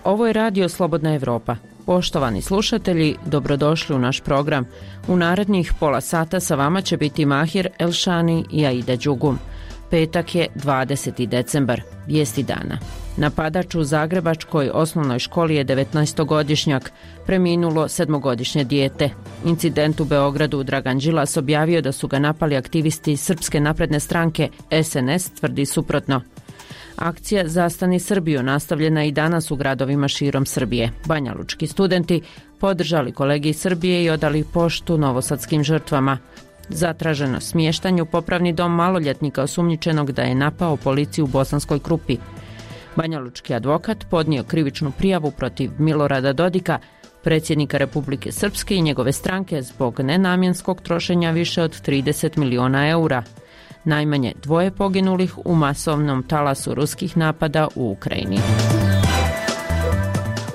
Ovo je radio Slobodna Evropa. Poštovani slušatelji, dobrodošli u naš program. U narednih pola sata sa vama će biti Mahir Elšani i Aida Đugum. Petak je 20. decembar, vijesti dana. Napadač u zagrebačkoj osnovnoj školi je 19-godišnjak, preminulo 7-godišnje dijete. Incident u Beogradu Dragan Đilas objavio da su ga napali aktivisti Srpske napredne stranke, SNS tvrdi suprotno. Akcija Zastani Srbiju nastavljena i danas u gradovima širom Srbije. Banjalučki studenti podržali kolege iz Srbije i odali poštu novosadskim žrtvama. Zatraženo smještanju popravni dom maloljetnika osumnjičenog da je napao policiju u Bosanskoj Krupi. Banjalučki advokat podnio krivičnu prijavu protiv Milorada Dodika, predsjednika Republike Srpske i njegove stranke zbog nenamjenskog trošenja više od 30 miliona eura. Najmanje 2 poginulih u masovnom talasu ruskih napada u Ukrajini.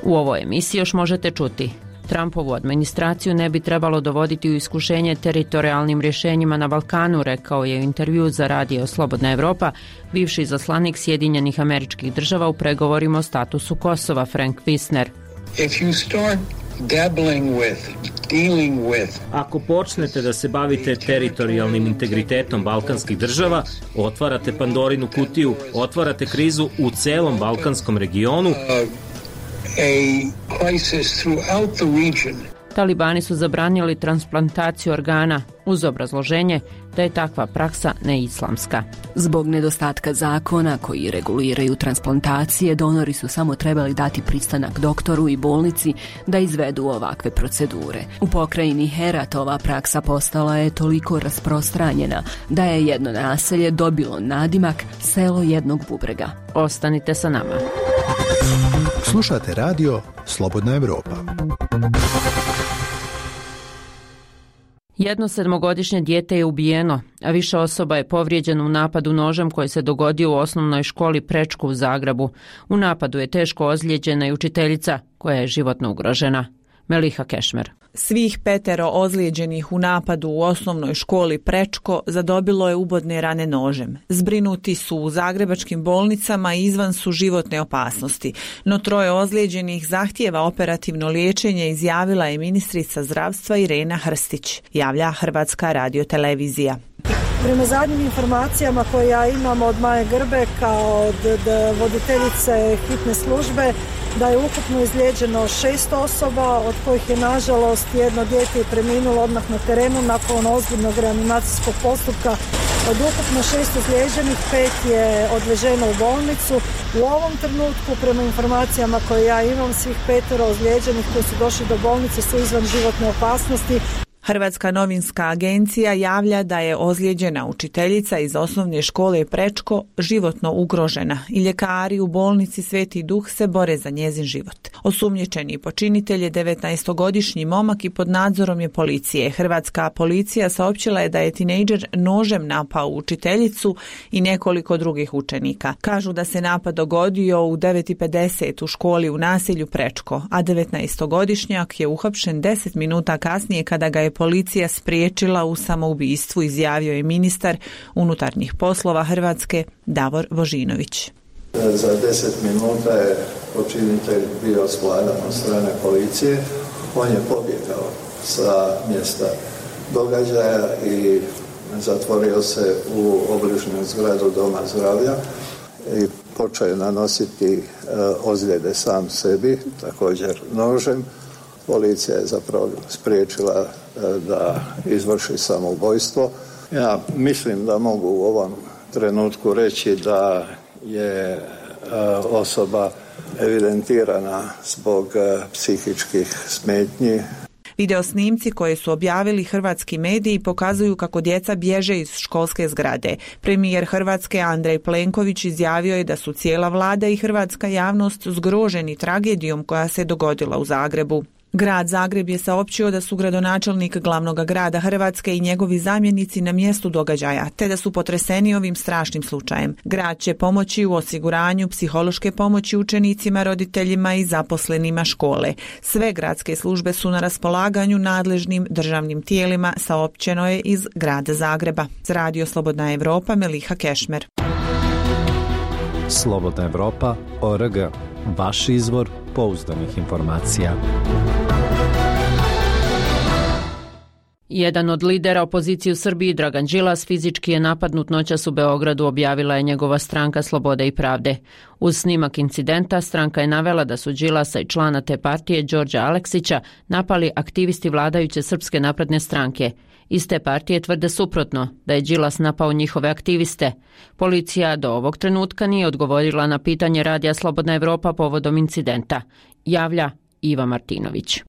U ovoj emisiji još možete čuti: Trumpovu administraciju ne bi trebalo dovoditi u iskušenje teritorijalnim rješenjima na Balkanu, rekao je u intervju za radio Slobodna Evropa bivši izaslanik Sjedinjenih Američkih Država u pregovorima o statusu Kosova Frank Wisner. Ako počnete da se bavite teritorijalnim integritetom balkanskih država, otvarate Pandorinu kutiju, otvarate krizu u celom balkanskom regionu. Talibani su zabranili transplantaciju organa uz obrazloženje da je takva praksa neislamska. Zbog nedostatka zakona koji reguliraju transplantacije, donori su samo trebali dati pristanak doktoru i bolnici da izvedu ovakve procedure. U pokrajini Herat ova praksa postala je toliko rasprostranjena da je jedno naselje dobilo nadimak selo jednog bubrega. Ostanite sa nama. Slušate radio Slobodna Evropa. Jedno 7-godišnje dijete je ubijeno, a više osoba je povrijeđeno u napadu nožem koji se dogodio u osnovnoj školi Prečko u Zagrebu. U napadu je teško ozlijeđena i učiteljica koja je životno ugrožena. Meliha Kešmer. Svih 5 ozlijeđenih u napadu u osnovnoj školi Prečko zadobilo je ubodne rane nožem. Zbrinuti su u zagrebačkim bolnicama i izvan su životne opasnosti. No 3 ozlijeđenih zahtijeva operativno liječenje, izjavila je ministrica zdravstva Irena Hrstić, javlja Hrvatska radiotelevizija. Prema zadnjim informacijama koje ja imam od Maje Grbeka, od voditeljice hitne službe, da je ukupno izlijeđeno 6 osoba, od kojih je nažalost jedno dijete preminulo odmah na terenu nakon ozbiljnog reanimacijskog postupka. Od ukupno 6 izlijeđenih 5 je odveženo u bolnicu. U ovom trenutku, prema informacijama koje ja imam, svih 5 ozlijeđenih koji su došli do bolnice su izvan životne opasnosti. Hrvatska novinska agencija javlja da je ozlijeđena učiteljica iz osnovne škole Prečko životno ugrožena i ljekari u bolnici Sveti Duh se bore za njezin život. Osumnjičeni počinitelj je 19-godišnji momak i pod nadzorom je policije. Hrvatska policija saopćila je da je tinejdžer nožem napao učiteljicu i nekoliko drugih učenika. Kažu da se napad dogodio u 9:50 u školi u naselju Prečko, a 19-godišnjak je uhapšen 10 minuta kasnije kada ga je policija spriječila u samoubistvu, izjavio je ministar unutarnjih poslova Hrvatske Davor Božinović. Za 10 minuta je počinitelj bio svladan od strane policije. On je pobjegao sa mjesta događaja i zatvorio se u obližnju zgradu Doma zdravlja i počeo je nanositi ozljede sam sebi, također nožem. Policija je zapravo spriječila da izvrši samoubojstvo. Ja mislim da mogu u ovom trenutku reći da je osoba evidentirana zbog psihičkih smetnji. Video snimci koje su objavili hrvatski mediji pokazuju kako djeca bježe iz školske zgrade. Premijer Hrvatske Andrej Plenković izjavio je da su cijela vlada i hrvatska javnost zgroženi tragedijom koja se dogodila u Zagrebu. Grad Zagreb je saopćio da su gradonačelnik glavnog grada Hrvatske i njegovi zamjenici na mjestu događaja, te da su potreseni ovim strašnim slučajem. Grad će pomoći u osiguranju psihološke pomoći učenicima, roditeljima i zaposlenima škole. Sve gradske službe su na raspolaganju nadležnim državnim tijelima, saopćeno je iz grada Zagreba. Za radio Slobodna Evropa, Meliha Kešmer. Slobodna Evropa.org. vaš izvor pouzdanih informacija. Jedan od lidera opozicije u Srbiji, Dragan Đilas, fizički je napadnut noćas u Beogradu, objavila je njegova stranka Slobode i pravde. Uz snimak incidenta, stranka je navela da su Đilasa i člana te partije, Đorđa Aleksića, napali aktivisti vladajuće Srpske napredne stranke. Iz te partije tvrde suprotno, da je Đilas napao njihove aktiviste. Policija do ovog trenutka nije odgovorila na pitanje Radija Slobodna Evropa povodom incidenta. Javlja Iva Martinović.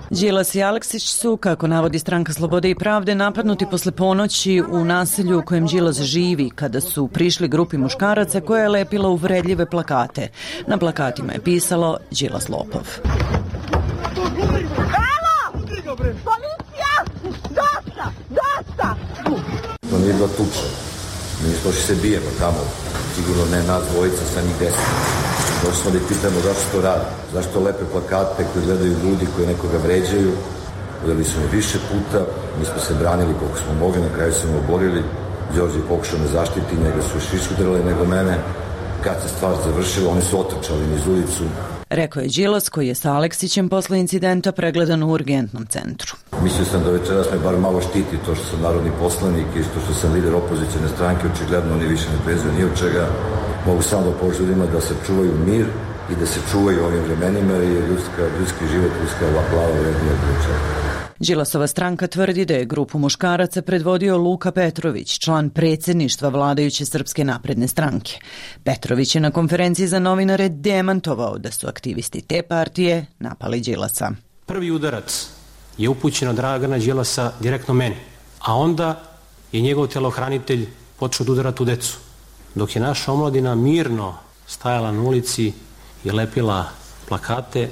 Đilas i Aleksić su, kako navodi stranka Slobode i pravde, napadnuti posle ponoći u naselju u kojem Đilas živi, kada su prišli grupi muškaraca koja je lepila uvredljive plakate. Na plakatima je pisalo Đilas lopov. Policija! Dosta! To nije bila tuča. Mi nismo se bijemo tamo. Sigurno ne nas dvojica, sa njih 10. Došli smo da ih pitamo zašto to radi. Zašto lepe plakate koje gledaju ljudi koji nekoga vređaju. Udali su me više puta. Mi smo se branili koliko smo mogli. Na kraju smo oborili. Đorđe je pokušao me zaštiti. Njega su još više udarali nego mene. Kad se stvar završila, oni su otrčali niz ulicu. Rekao je Đilas, koji je sa Aleksićem posle incidenta pregledan u urgentnom centru. Mislio sam da večeras me bar malo štiti to što sam narodni poslanik i što sam lider opozicijne stranke. Očigledno oni više ne prezuju ni od čega. Mogu samo da poželjima da se čuvaju mir i da se čuvaju ovim vremenima jer je ljudski život, ljudska glava vrednija od čega. Đilasova stranka tvrdi da je grupu muškaraca predvodio Luka Petrović, član predsjedništva vladajuće Srpske napredne stranke. Petrović je na konferenciji za novinare demantovao da su aktivisti te partije napali Đilasa. Prvi udarac je upućen od Dragana Đilasa direktno meni, a onda je njegov telohranitelj počeo da udarati u decu. Dok je naša omladina mirno stajala na ulici i lepila plakate,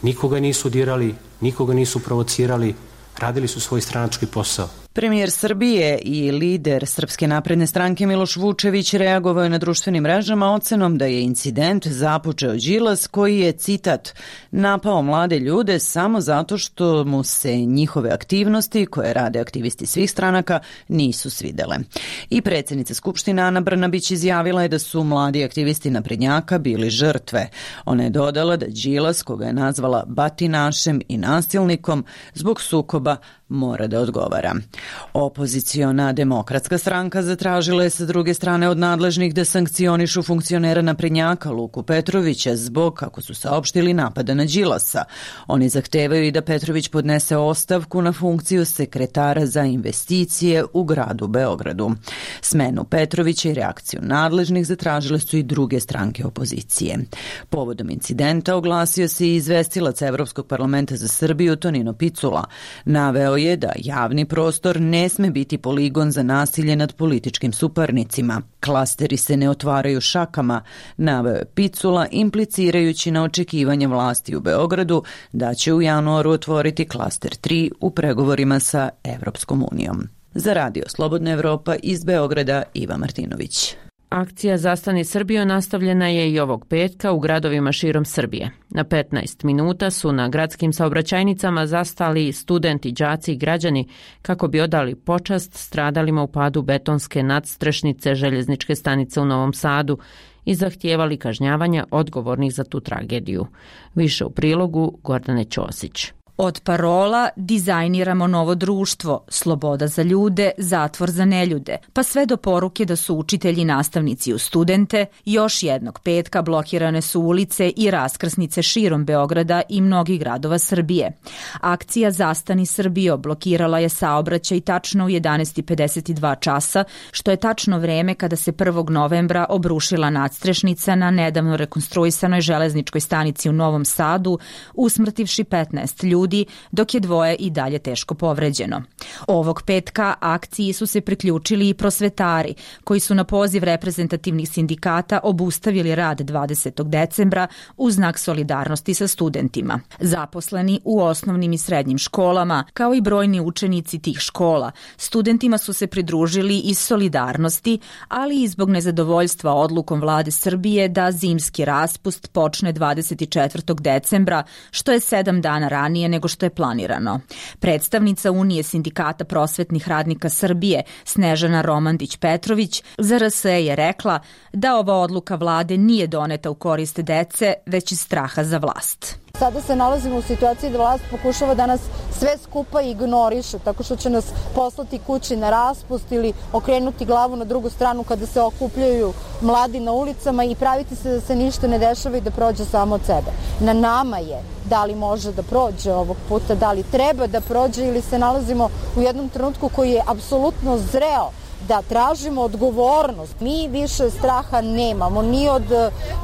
nikoga nisu dirali, nikoga nisu provocirali, radili su svoj stranački posao. Premijer Srbije i lider Srpske napredne stranke Miloš Vučević reagovao je na društvenim mrežama ocenom da je incident započeo Đilas koji je, citat, napao mlade ljude samo zato što mu se njihove aktivnosti, koje rade aktivisti svih stranaka, nisu svidele. I predsjednica Skupštine Ana Brnabić izjavila je da su mladi aktivisti naprednjaka bili žrtve. Ona je dodala da Đilas, koga je nazvala batinašem i nasilnikom, zbog sukoba mora da odgovara. Opoziciona demokratska stranka zatražila je sa druge strane od nadležnih da sankcionišu funkcionera naprednjaka Luku Petrovića zbog, kako su saopštili, napada na Đilasa. Oni zahtevaju i da Petrović podnese ostavku na funkciju sekretara za investicije u gradu Beogradu. Smenu Petrovića i reakciju nadležnih zatražile su i druge stranke opozicije. Povodom incidenta oglasio se i izvestilac Evropskog parlamenta za Srbiju Tonino Picula. Naveo je da javni prostor ne sme biti poligon za nasilje nad političkim suparnicima. Klasteri se ne otvaraju šakama, naveo je Picula, implicirajući na očekivanje vlasti u Beogradu da će u januaru otvoriti klaster 3 u pregovorima sa Evropskom unijom. Za Radio Slobodna Evropa iz Beograda, Iva Martinović. Akcija Zastani Srbijo nastavljena je i ovog petka u gradovima širom Srbije. Na 15 minuta su na gradskim saobraćajnicama zastali studenti, đaci i građani kako bi odali počast stradalima u padu betonske nadstrešnice željezničke stanice u Novom Sadu i zahtijevali kažnjavanja odgovornih za tu tragediju. Više u prilogu Gordane Ćosić. Od parola dizajniramo novo društvo, sloboda za ljude, zatvor za neljude, pa sve do poruke da su učitelji nastavnici u studente, još jednog petka blokirane su ulice i raskrsnice širom Beograda i mnogih gradova Srbije. Akcija Zastani Srbijo blokirala je saobraćaj tačno u 11:52 časa, što je tačno vreme kada se 1. novembra obrušila nadstrešnica na nedavno rekonstruisanoj železničkoj stanici u Novom Sadu, usmrtivši 15 ljudi, dok je 2 i dalje teško povređeno. Ovog petka akciji su se priključili i prosvetari, koji su na poziv reprezentativnih sindikata obustavili rad 20. decembra u znak solidarnosti sa studentima. Zaposleni u osnovnim i srednjim školama, kao i brojni učenici tih škola, studentima su se pridružili iz solidarnosti, ali i zbog nezadovoljstva odlukom vlade Srbije da zimski raspust počne 24. decembra, što je 7 dana ranije nego što je planirano. Predstavnica Unije sindikata Sindikata prosvetnih radnika Srbije Snežana Romandić-Petrović za RSE je rekla da ova odluka vlade nije doneta u korist dece, već iz straha za vlast. Sada se nalazimo u situaciji da vlast pokušava da nas sve skupa ignoriše, tako što će nas poslati kući na raspust ili okrenuti glavu na drugu stranu kada se okupljaju mladi na ulicama i praviti se da se ništa ne dešava i da prođe samo od sebe. Na nama je da li može da prođe ovog puta, da li treba da prođe ili se nalazimo u jednom trenutku koji je apsolutno zreo da tražimo odgovornost. Mi više straha nemamo, ni od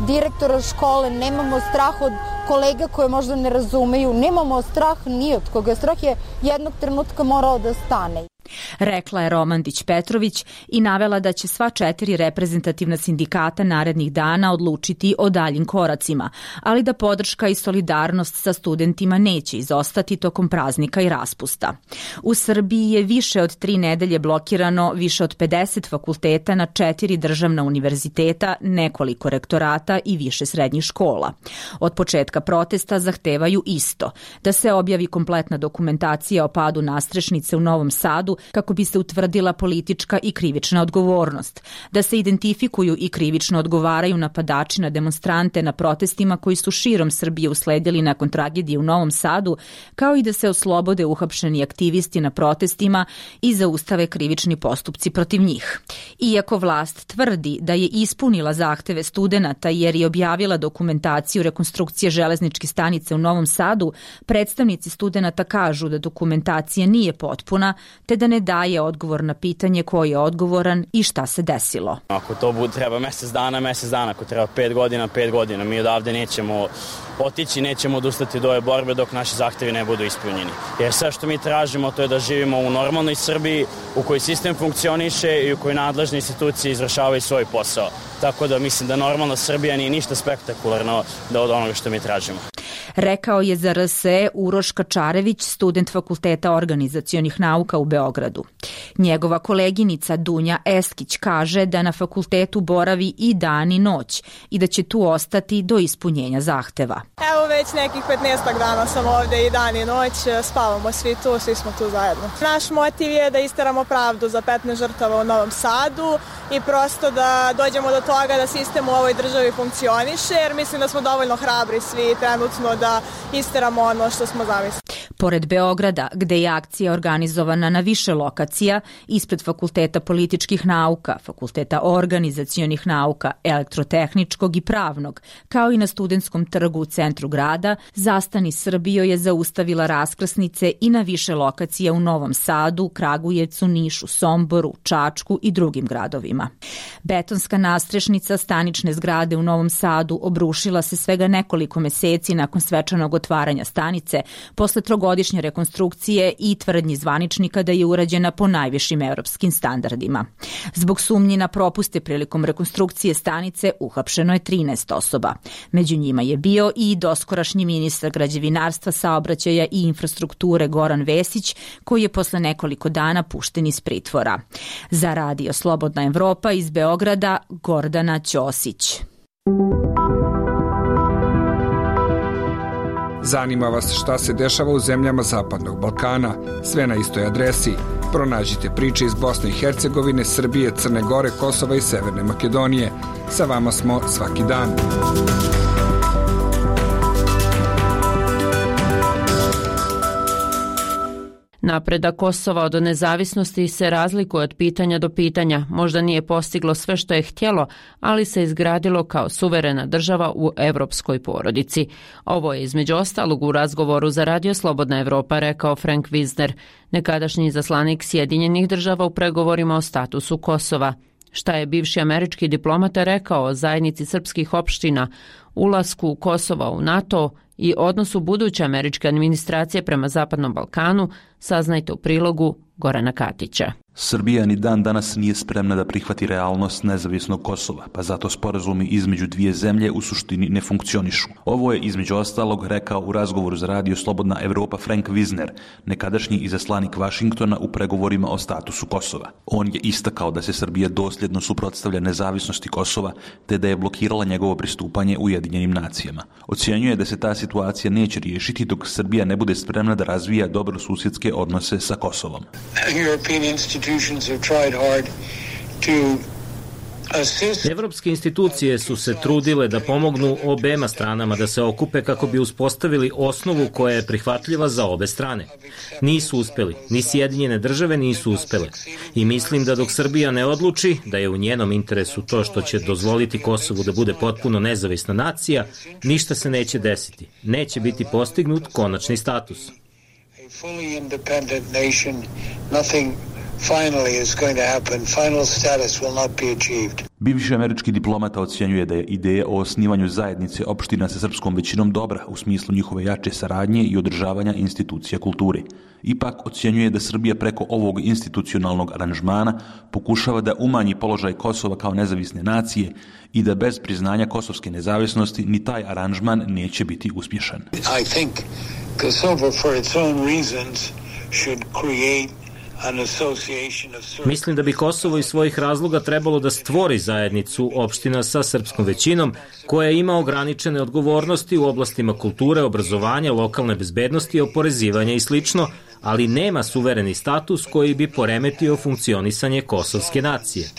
direktora škole, nemamo strah od kolega koje možda ne razumeju, nemamo strah ni od koga. Strah je jednog trenutka morao da stane. Rekla je Romandić-Petrović i navela da će sva 4 reprezentativna sindikata narednih dana odlučiti o daljim koracima, ali da podrška i solidarnost sa studentima neće izostati tokom praznika i raspusta. U Srbiji je više od 3 nedelje blokirano više od 50 fakulteta na 4 državna univerziteta, nekoliko rektorata i više srednjih škola. Od početka protesta zahtevaju isto, da se objavi kompletna dokumentacija o padu nadstrešnice u Novom Sadu kako bi se utvrdila politička i krivična odgovornost, da se identifikuju i krivično odgovaraju napadači na demonstrante na protestima koji su širom Srbije usledili nakon tragedije u Novom Sadu, kao i da se oslobode uhapšeni aktivisti na protestima i zaustave krivični postupci protiv njih. Iako vlast tvrdi da je ispunila zahteve studenata jer je objavila dokumentaciju rekonstrukcije železničke stanice u Novom Sadu, predstavnici studenata kažu da dokumentacija nije potpuna, te da ne daje odgovor na pitanje ko je odgovoran i šta se desilo. Ako to treba mesec dana, ako treba 5 godina, mi odavde nećemo otići, nećemo odustati do ove borbe dok naši zahtevi ne budu ispunjeni. Jer sve što mi tražimo to je da živimo u normalnoj Srbiji, u kojoj sistem funkcioniše i u kojoj nadležne institucije izvršavaju svoj posao. Tako da mislim da normalna Srbija nije ništa spektakularno da od onoga što mi tražimo. Rekao je za RSE Uroš Kačarević, student Fakulteta organizacionih nauka u Beogradu. Njegova koleginica Dunja Eskić kaže da na fakultetu boravi i dan i noć i da će tu ostati do ispunjenja zahteva. Evo već nekih 15 dana sam ovde i dan i noć, spavamo svi tu, svi smo tu zajedno. Naš motiv je da isteramo pravdu za 15 žrtava u Novom Sadu i prosto da dođemo do toga da sistem u ovoj državi funkcioniše, jer mislim da smo dovoljno hrabri svi trenutno da isteramo ono što smo zamislili. Pored Beograda, gde je akcija organizovana na više lokacija, ispred Fakulteta političkih nauka, Fakulteta organizacionih nauka, elektrotehničkog i pravnog, kao i na Studentskom trgu u centru grada, Zastani Srbijo je zaustavila raskrsnice i na više lokacija u Novom Sadu, Kragujevcu, Nišu, Somboru, Čačku i drugim gradovima. Betonska nadstrešnica stanične zgrade u Novom Sadu obrušila se svega nekoliko meseci nakon svečanog otvaranja stanice, posle trogodišnje rekonstrukcije i tvrdnji zvaničnika da je urađena po najvišim evropskim standardima. Zbog sumnji na propuste prilikom rekonstrukcije stanice uhapšeno je 13 osoba. Među njima je bio i doskorašnji ministar građevinarstva, saobraćaja i infrastrukture Goran Vesić, koji je posle nekoliko dana pušten iz pritvora. Za Radio Slobodna Evropa iz Beograda, Gordana Ćosić. Zanima vas šta se dešava u zemljama Zapadnog Balkana? Sve na istoj adresi. Pronađite priče iz Bosne i Hercegovine, Srbije, Crne Gore, Kosova i Severne Makedonije. Sa vama smo svaki dan. Napredak Kosova od nezavisnosti se razlikuje od pitanja do pitanja. Možda nije postiglo sve što je htjelo, ali se izgradilo kao suverena država u evropskoj porodici. Ovo je između ostalog u razgovoru za Radio Slobodna Evropa rekao Frank Wisner, nekadašnji izaslanik Sjedinjenih država u pregovorima o statusu Kosova. Šta je bivši američki diplomata rekao o zajednici srpskih opština, ulasku Kosova u NATO i odnosu buduće američke administracije prema Zapadnom Balkanu, saznajte u prilogu Gorana Katića. Srbija ni dan danas nije spremna da prihvati realnost nezavisnog Kosova, pa zato sporazumi između dvije zemlje u suštini ne funkcionišu. Ovo je između ostalog rekao u razgovoru za radio Slobodna Evropa Frank Wisner, nekadašnji izaslanik Vašingtona u pregovorima o statusu Kosova. On je istakao da se Srbija dosljedno suprotstavlja nezavisnosti Kosova, te da je blokirala njegovo pristupanje Ujedinjenim nacijama. Ocjenjuje da se ta situacija neće riješiti dok Srbija ne bude spremna da razvija dobrosusjedske odnose sa Kosovom. Evropske institucije su se trudile da pomognu obema stranama da se okupe kako bi uspostavili osnovu koja je prihvatljiva za obe strane. Nisu uspeli, ni Sjedinjene države nisu uspele. I mislim da dok Srbija ne odluči da je u njenom interesu to što će dozvoliti Kosovu da bude potpuno nezavisna nacija, ništa se neće desiti. Neće biti postignut konačni status. Finally is going to happen. Final status will not be achieved. Bivši američki diplomata ocjenjuje da je ideja o osnivanju zajednice opština sa srpskom većinom dobra u smislu njihove jače saradnje i održavanja institucija kulture. Ipak ocjenjuje da Srbija preko ovog institucionalnog aranžmana pokušava da umanji položaj Kosova kao nezavisne nacije i da bez priznanja kosovske nezavisnosti ni taj aranžman neće biti uspješan. I think Kosovo for its own reasons should create. Mislim da bi Kosovo iz svojih razloga trebalo da stvori zajednicu opština sa srpskom većinom koja ima ograničene odgovornosti u oblastima kulture, obrazovanja, lokalne bezbednosti, oporezivanja i slično, ali nema suvereni status koji bi poremetio funkcionisanje kosovske nacije.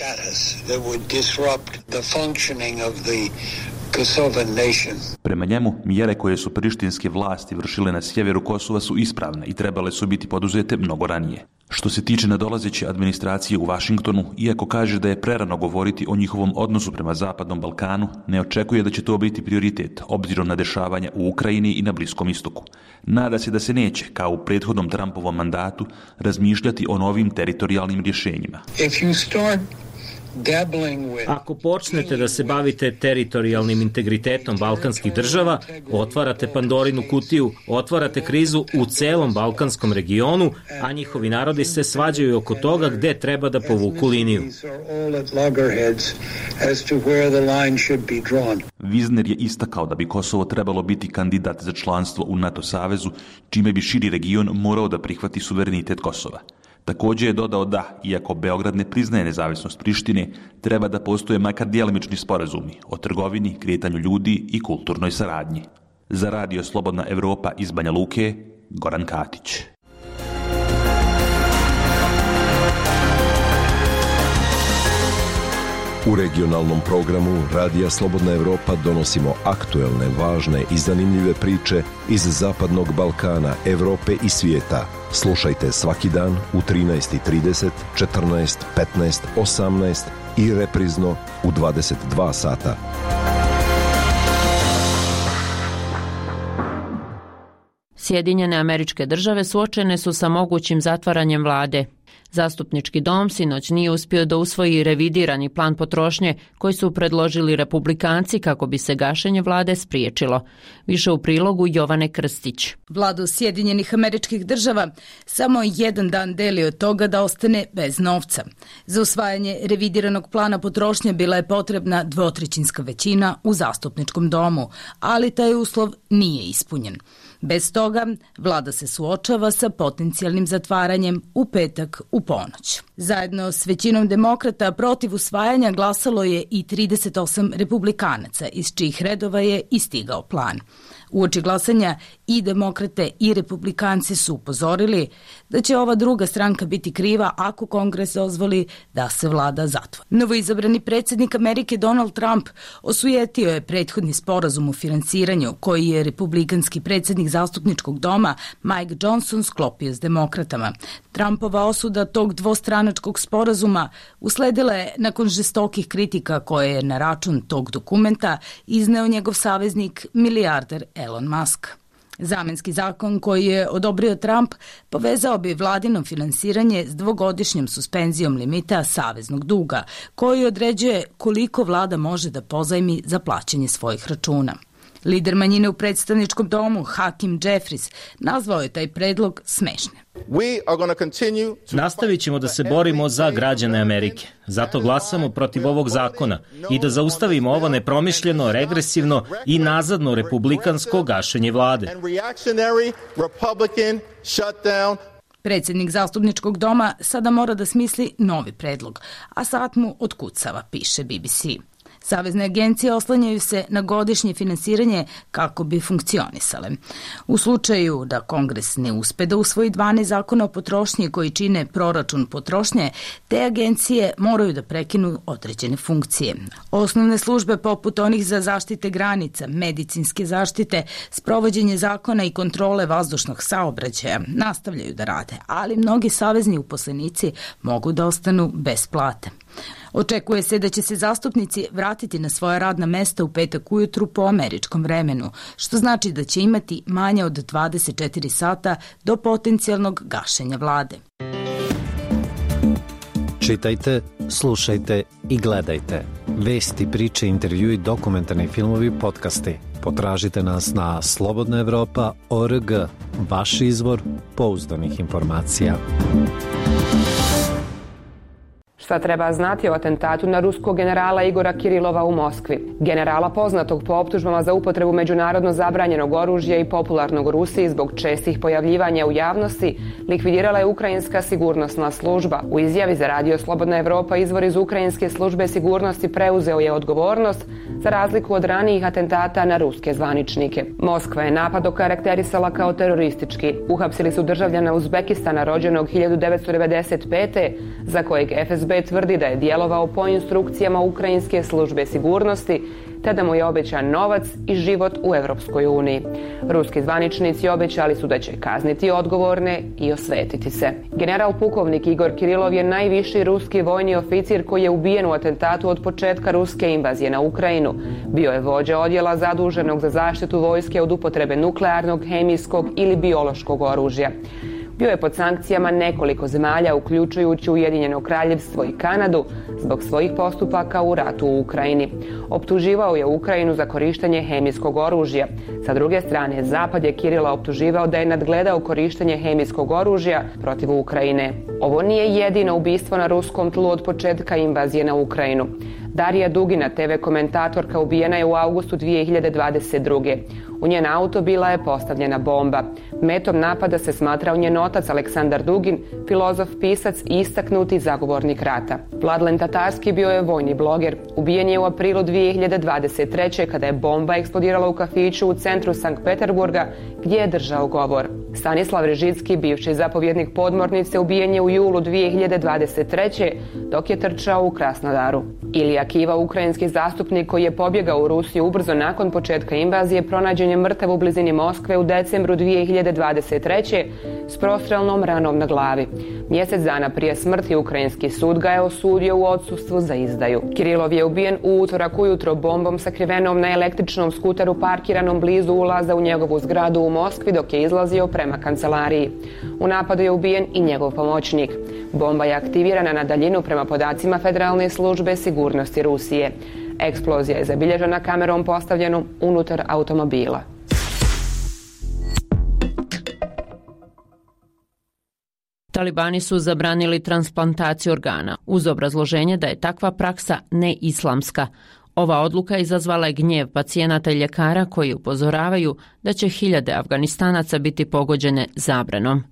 Prema njemu, mjere koje su prištinske vlasti vršile na sjeveru Kosova su ispravne i trebale su biti poduzete mnogo ranije. Što se tiče nadolazeće administracije u Vašingtonu, iako kaže da je prerano govoriti o njihovom odnosu prema Zapadnom Balkanu, ne očekuje da će to biti prioritet, obzirom na dešavanja u Ukrajini i na Bliskom istoku. Nada se da se neće, kao u prethodnom Trumpovom mandatu, razmišljati o novim teritorijalnim rješenjima. Ako počnete da se bavite teritorijalnim integritetom balkanskih država, otvarate Pandorinu kutiju, otvarate krizu u celom balkanskom regionu, a njihovi narodi se svađaju oko toga gde treba da povuku liniju. Wisner je istakao da bi Kosovo trebalo biti kandidat za članstvo u NATO savezu, čime bi širi region morao da prihvati suverenitet Kosova. Također je dodao da, iako Beograd ne priznaje nezavisnost Prištine, treba da postoje makar djelimični sporazumi o trgovini, kretanju ljudi i kulturnoj saradnji. Za radio Slobodna Evropa iz Banja Luke, Goran Katić. U regionalnom programu Radija Slobodna Evropa donosimo aktuelne, važne i zanimljive priče iz Zapadnog Balkana, Evrope i svijeta. Slušajte svaki dan u 13:30, 14, 15, 18 i reprizno u 22 sata. Sjedinjene Američke Države suočene su sa mogućim zatvaranjem vlade. Zastupnički dom sinoć nije uspio da usvoji revidirani plan potrošnje koji su predložili republikanci kako bi se gašenje vlade spriječilo. Više u prilogu Jovane Krstić. Vladu Sjedinjenih Američkih Država samo jedan dan deli od toga da ostane bez novca. Za usvajanje revidiranog plana potrošnje bila je potrebna 2/3 većina u zastupničkom domu, ali taj uslov nije ispunjen. Bez toga, vlada se suočava sa potencijalnim zatvaranjem u petak u ponoć. Zajedno s većinom demokrata protiv usvajanja glasalo je i 38 republikanaca, iz čijih redova je i stigao plan. Uoči glasanja i demokrate i republikanci su upozorili da će ova druga stranka biti kriva ako Kongres dozvoli da se vlada zatvori. Novoizabrani predsjednik Amerike Donald Trump osujetio je prethodni sporazum o finansiranju koji je republikanski predsjednik zastupničkog doma Mike Johnson sklopio s demokratama. Trumpova osuda tog dvostranačkog sporazuma usledila je nakon žestokih kritika koje je na račun tog dokumenta izneo njegov saveznik milijarder Elon Musk. Zamenski zakon koji je odobrio Trump povezao bi vladino finansiranje s 2-godišnjom suspenzijom limita saveznog duga, koji određuje koliko vlada može da pozajmi za plaćanje svojih računa. Lider manjine u predstavničkom domu, Hakim Jeffries, nazvao je taj predlog smešnim. Nastavit ćemo da se borimo za građane Amerike. Zato glasamo protiv ovog zakona i da zaustavimo ovo nepromišljeno, regresivno i nazadno republikansko gašenje vlade. Predsjednik zastupničkog doma sada mora da smisli novi predlog, a sad mu otkucava, piše BBC. Savezne agencije oslanjaju se na godišnje finansiranje kako bi funkcionisale. U slučaju da Kongres ne uspe da usvoji 12 zakona o potrošnji koji čine proračun potrošnje, te agencije moraju da prekinu određene funkcije. Osnovne službe poput onih za zaštite granica, medicinske zaštite, sprovođenje zakona i kontrole vazdušnog saobraćaja nastavljaju da rade, ali mnogi savezni uposlenici mogu da ostanu bez plate. Očekuje se da će se zastupnici vratiti na svoja radna mesta u petak ujutru po američkom vremenu, što znači da će imati manje od 24 sata do potencijalnog gašenja vlade. Čitajte, slušajte i gledajte. Vesti, priče, intervjui, dokumentarni filmovi, podcasti. Potražite nas na slobodnaevropa.org, vaš izvor pouzdanih informacija. Šta treba znati o atentatu na ruskog generala Igora Kirilova u Moskvi? Generala poznatog po optužbama za upotrebu međunarodno zabranjenog oružja i popularnog u Rusiji zbog čestih pojavljivanja u javnosti likvidirala je ukrajinska sigurnosna služba. U izjavi za Radio Slobodna Evropa izvor iz ukrajinske službe sigurnosti preuzeo je odgovornost za razliku od ranijih atentata na ruske zvaničnike. Moskva je napad okarakterisala kao teroristički. Uhapsili su državljana Uzbekistana rođenog 1995. za kojeg FSB tvrdi da je djelovao po instrukcijama ukrajinske službe sigurnosti, te da mu je obećan novac i život u Europskoj uniji. Ruski zvaničnici obećali su da će kazniti odgovorne i osvetiti se. General pukovnik Igor Kirilov je najviši ruski vojni oficir koji je ubijen u atentatu od početka ruske invazije na Ukrajinu. Bio je vođa odjela zaduženog za zaštitu vojske od upotrebe nuklearnog, hemijskog ili biološkog oružja. Bio je pod sankcijama nekoliko zemalja, uključujući Ujedinjeno Kraljevstvo i Kanadu, zbog svojih postupaka u ratu u Ukrajini. Optuživao je Ukrajinu za korištenje hemijskog oružja. Sa druge strane, Zapad je Kirila optuživao da je nadgledao korištenje hemijskog oružja protiv Ukrajine. Ovo nije jedino ubistvo na ruskom tlu od početka invazije na Ukrajinu. Darija Dugina, TV komentatorka, ubijena je u avgustu 2022. U njen auto bila je postavljena bomba. Metom napada se smatrao njen otac Aleksandar Dugin, filozof, pisac i istaknuti zagovornik rata. Vladlen Tatarski bio je vojni bloger. Ubijen je u aprilu 2023. kada je bomba eksplodirala u kafiću u centru Sankt Peterburga gdje je držao govor. Stanislav Režicki, bivši zapovjednik podmornice, ubijen je u julu 2023. dok je trčao u Krasnodaru. Ilija Kiva, ukrajinski zastupnik koji je pobjegao u Rusiju ubrzo nakon početka invazije, pronađen je mrtav u blizini Moskve u decembru 2023. s prostrelnom ranom na glavi. Mjesec dana prije smrti ukrajinski sud ga je osudio u odsustvu za izdaju. Kirilov je ubijen u utorak ujutro bombom sakrivenom na električnom skuteru parkiranom blizu ulaza u njegovu zgradu u Moskvi dok je izlazio prema kancelariji. U napadu je ubijen i njegov pomoćnik. Bomba je aktivirana na daljinu prema podacima Federalne službe sigurnosti Rusije. Eksplozija je zabilježena kamerom postavljenom unutar automobila. Talibani su zabranili transplantaciju organa uz obrazloženje da je takva praksa neislamska. Ova odluka izazvala je gnjev pacijenata i ljekara koji upozoravaju da će hiljade Afganistanaca biti pogođene zabranom.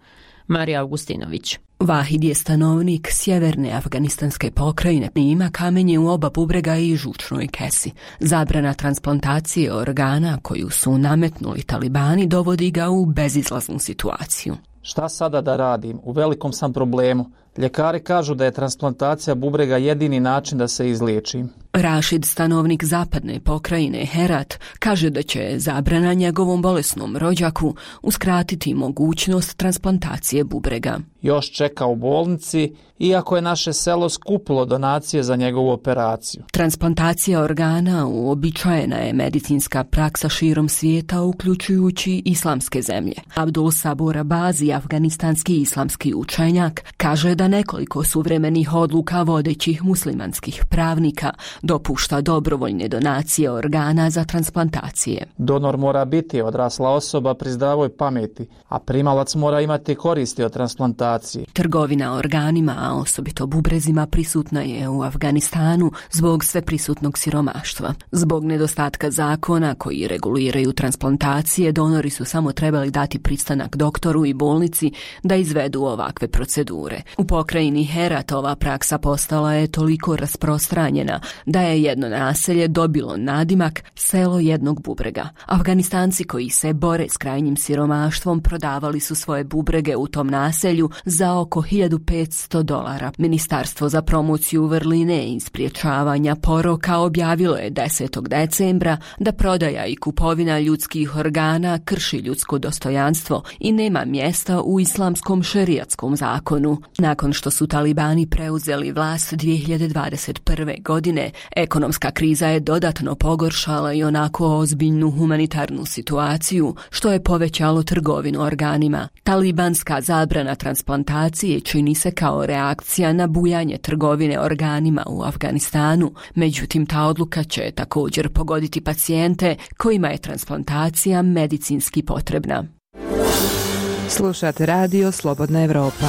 Marija Augustinović. Vahid je stanovnik sjeverne afganistanske pokrajine i ima kamenje u oba bubrega i žučnoj kesi. Zabrana transplantacije organa koju su nametnuli Talibani dovodi ga u bezizlaznu situaciju. Šta sada da radim? U velikom sam problemu. Ljekari kažu da je transplantacija bubrega jedini način da se izliječim. Rašid, stanovnik zapadne pokrajine Herat, kaže da će zabrana njegovom bolesnom rođaku uskratiti mogućnost transplantacije bubrega. Još čeka u bolnici, iako je naše selo skupilo donacije za njegovu operaciju. Transplantacija organa uobičajena je medicinska praksa širom svijeta, uključujući islamske zemlje. Abdul Sabur Abazi, afganistanski islamski učenjak, kaže da da nekoliko suvremenih odluka vodećih muslimanskih pravnika dopušta dobrovoljne donacije organa za transplantacije. Donor mora biti odrasla osoba pri zdravoj pameti, a primalac mora imati koristi od transplantacije. Trgovina organima, a osobito bubrezima, prisutna je u Afganistanu zbog sveprisutnog siromaštva. Zbog nedostatka zakona koji reguliraju transplantacije, donori su samo trebali dati pristanak doktoru i bolnici da izvedu ovakve procedure. U pokrajini Herat ova praksa postala je toliko rasprostranjena da je jedno naselje dobilo nadimak selo jednog bubrega. Afganistanci koji se bore s krajnjim siromaštvom prodavali su svoje bubrege u tom naselju za oko $1.500. Ministarstvo za promociju vrline i spriječavanja poroka objavilo je 10. decembra da prodaja i kupovina ljudskih organa krši ljudsko dostojanstvo i nema mjesta u islamskom šerijatskom zakonu. Nakon što su talibani preuzeli vlast 2021. godine, ekonomska kriza je dodatno pogoršala i onako ozbiljnu humanitarnu situaciju, što je povećalo trgovinu organima. Talibanska zabrana transplantacije čini se kao reakcija na bujanje trgovine organima u Afganistanu. Međutim, ta odluka će također pogoditi pacijente kojima je transplantacija medicinski potrebna. Slušate radio Slobodna Evropa.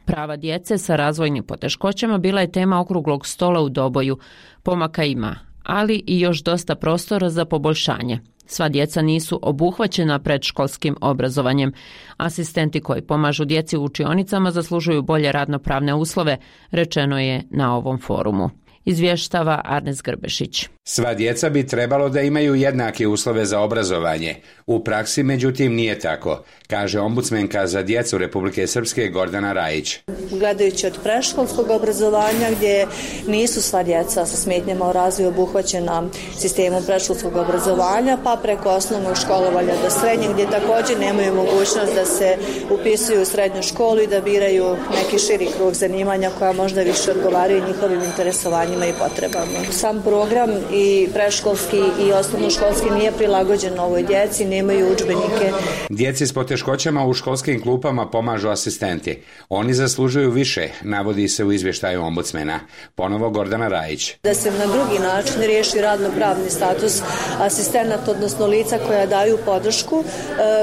Prava djece sa razvojnim poteškoćama bila je tema okruglog stola u Doboju. Pomaka ima, ali i još dosta prostora za poboljšanje. Sva djeca nisu obuhvaćena predškolskim obrazovanjem. Asistenti koji pomažu djeci u učionicama zaslužuju bolje radnopravne uslove, rečeno je na ovom forumu. Izvještava Arnes Grbešić. Sva djeca bi trebalo da imaju jednake uslove za obrazovanje. U praksi, međutim, nije tako, kaže ombudsmenka za djecu Republike Srpske Gordana Rajić. Gledajući od predškolskog obrazovanja, gdje nisu sva djeca sa smetnjama u razvoju obuhvaćena sistemom predškolskog obrazovanja, pa preko osnovnog školovanja do srednjeg, gdje također nemaju mogućnost da se upisuju u srednju školu i da biraju neki širi krug zanimanja koja možda više odgovaraju njihovim interesovanjima i potrebama. Sam program i predškolski i osnovnoškolski nije prilagođen ovoj djeci, nemaju udžbenike. Djeci s poteškoćama u školskim klupama pomažu asistenti. Oni zaslužuju više, navodi se u izvještaju ombudsmena. Ponovo Gordana Rajić. Da se na drugi način riješi radno-pravni status asistenata, odnosno lica koja daju podršku,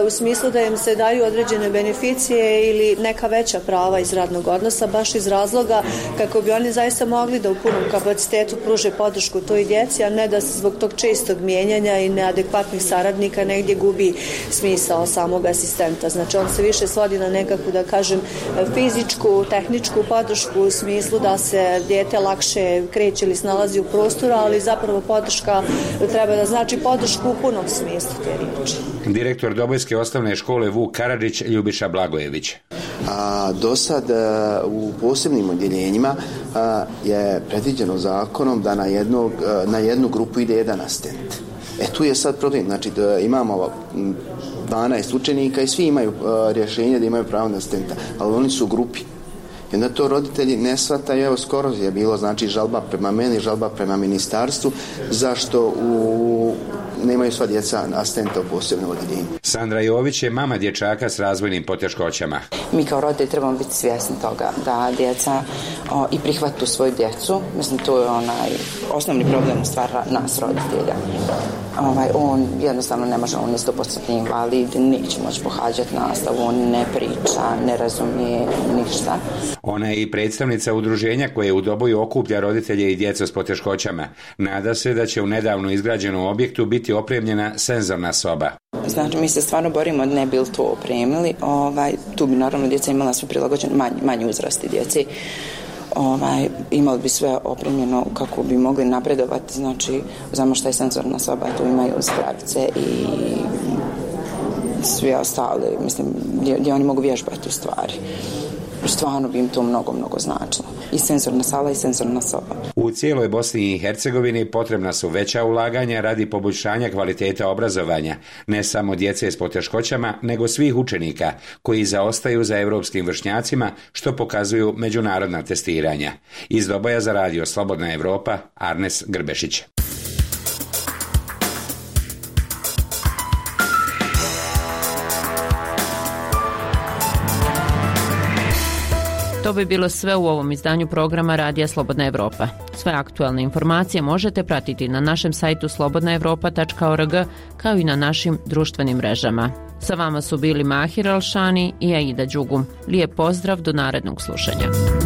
u smislu da im se daju određene beneficije ili neka veća prava iz radnog odnosa, baš iz razloga kako bi oni zaista mogli da u punom kapacitetu pruže podršku toj djeci, a ne da se zbog tog čestog mijenjanja i neadekvatnih saradnika negdje gubi smisao samog asistenta. Znači on se više svodi na nekakvu, da kažem, fizičku, tehničku podršku u smislu da se dijete lakše kreće ili snalazi u prostoru, ali zapravo podrška treba da znači podršku u punom smislu te riječi. Direktor Dobojske osnovne škole Vuk Karadžić Ljubiša Blagojević. Do sad u posebnim odjeljenjima je predviđeno zakonom da na jednu grupu ide jedan asistent. Tu je sad problem, znači da imamo 12 učenika i svi imaju rješenje da imaju pravo na asistenta, ali oni su u grupi. I onda to roditelji ne shvataju, evo skoro je bilo znači žalba prema meni, žalba prema ministarstvu, zašto nemaju sva djeca asistenta u posebnom odjeljenju. Sandra Jović je mama dječaka s razvojnim poteškoćama. Mi kao roditelji trebamo biti svjesni toga da djeca i prihvatu svoju djecu. Mislim, to je osnovni problem u stvari nas roditelja. On jednostavno ne može, on je 100% invalid, neće moći pohađati nastavu, on ne priča, ne razumije ništa. Ona je i predstavnica udruženja koje u Doboju okuplja roditelje i djecu s poteškoćama. Nada se da će u nedavno izgrađenom objektu biti opremljena senzorna soba. Znači, mi se stvarno borimo da ne bi to opremili. Tu bi naravno djeca imala sve prilagođeno, manji uzrasti djeci. Imali bi sve opremljeno kako bi mogli napredovati, znači znamo šta je senzorna soba, tu imaju spravice i sve ostale, mislim, gdje oni mogu vježbati u stvari. Stvarno bi im to mnogo značilo. I senzorna sala i senzorna soba. U cijeloj Bosni i Hercegovini potrebna su veća ulaganja radi poboljšanja kvaliteta obrazovanja, ne samo djece s poteškoćama, nego svih učenika koji zaostaju za europskim vršnjacima, što pokazuju međunarodna testiranja. Iz Doboja za radio Slobodna Evropa, Arnes Grbešić. To bi bilo sve u ovom izdanju programa Radija Slobodna Evropa. Sve aktualne informacije možete pratiti na našem sajtu slobodnaevropa.org kao i na našim društvenim mrežama. Sa vama su bili Mahir Alšani i Aida Đugum. Lijep pozdrav, do narednog slušanja.